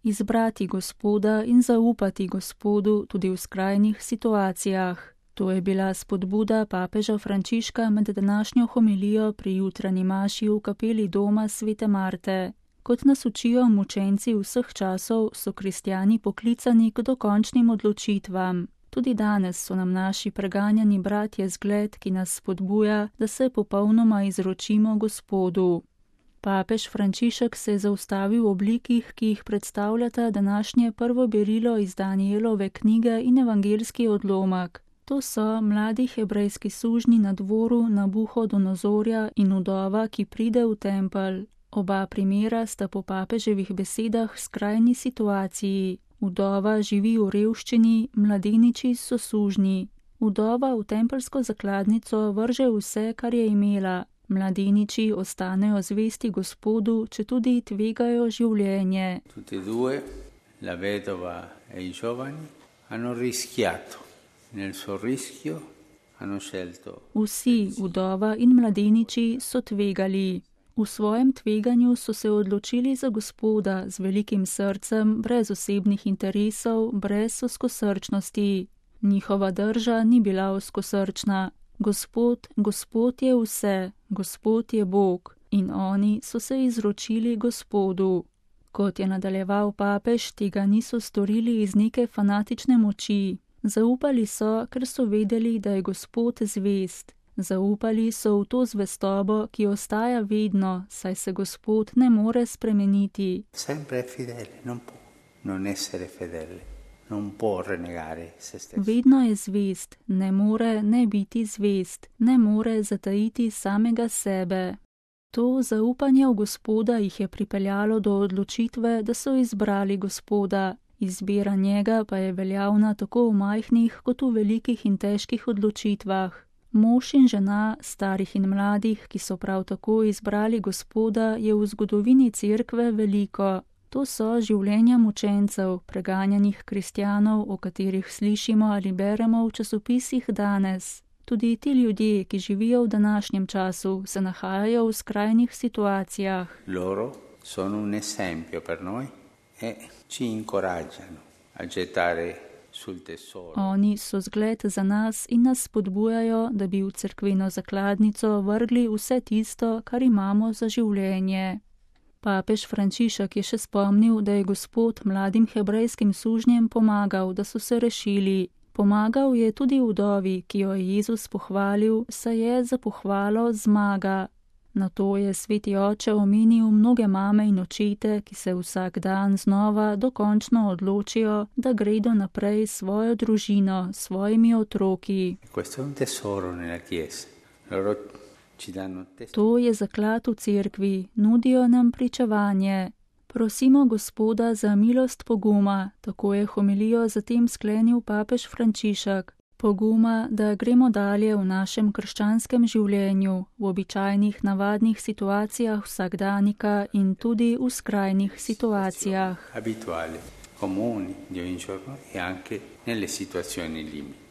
izbrati Gospoda in zaupati Gospodu tudi v skrajnih situacijah. To je bila spodbuda papeža Frančiška med današnjo homilijo pri jutranji maši v kapeli doma Svete Marte. Kot nas učijo mučenci vseh časov, so kristjani poklicani k dokončnim odločitvam. Tudi danes so nam naši preganjani bratje zgled, ki nas spodbuja, da se popolnoma izročimo Gospodu. Papež Frančišek se je zaustavil v oblikih, ki jih predstavljata današnje prvo berilo iz Danielove knjige in evangelski odlomek. To so mladi hebrejski sužnji na dvoru Nabuhodonozorja in vdova, ki pride v tempelj. Oba primera sta po papeževih besedah v skrajni situaciji. Vdova živi v revščini, mladeniči so sužnji. Vdova v tempeljsko zakladnico vrže vse, kar je imela. Mladeniči ostanejo zvesti Gospodu, četudi tvegajo življenje. Tutti due, la vedova e i giovani, hanno rischiato. Nel suo rischio hanno scelto. Vsi, vdova in mladeniči, so tvegali. V svojem tveganju so se odločili za Gospoda z velikim srcem, brez osebnih interesov, brez ozkosrčnosti. Njihova drža ni bila ozkosrčna. Gospod je vse, Gospod je Bog, in oni so se izročili Gospodu. Kot je nadaljeval papež, tega niso storili iz neke fanatične moči. Zaupali so, ker so vedeli, da je Gospod zvest. Zaupali so v to zvestobo, ki ostaja vedno, saj se Gospod ne more spremeniti. Sempre fedele, non può non essere fedele, non può renegare se stesso. Vedno je zvest, ne more ne biti zvest, ne more zatajiti samega sebe. To zaupanje v Gospoda jih je pripeljalo do odločitve, da so izbrali Gospoda. Izbira njega pa je veljavna tako v majhnih kot v velikih in težkih odločitvah. Mož in žena, starih in mladih, ki so prav tako izbrali Gospoda, je v zgodovini cerkve veliko. To so življenja mučencev, preganjanih kristjanov, o katerih slišimo ali beremo v časopisih danes. Tudi ti ljudje, ki živijo v današnjem času, se nahajajo v skrajnih situacijah. Loro sono un esempio per noi e ci incoraggiano a gettare sul tesoro. Oni so zgled za nas in nas spodbujajo, da bi v cerkveno zakladnico vrgli vse tisto, kar imamo za življenje. Papež Frančišek je še spomnil, da je Gospod mladim hebrejskim sužnjem pomagal, da so se rešili. Pomagal je tudi vdovi, ki jo je Jezus pohvalil, saj je za pohvalo zmaga. Na to je sveti oče omenil mnoge mame in očete, ki se vsak dan znova dokončno odločijo, da gredo naprej svojo družino, svojimi otroki. To je zaklad v cerkvi, nudijo nam pričevanje. Prosimo Gospoda za milost poguma, tako je homilijo zatem sklenil papež Frančišek. Poguma, da gremo dalje v našem krščanskem življenju, v običajnih navadnih situacijah vsakdanika in tudi v skrajnih situacijah. Habituali, comuni, di ogni giorno e anche nelle situazioni limite.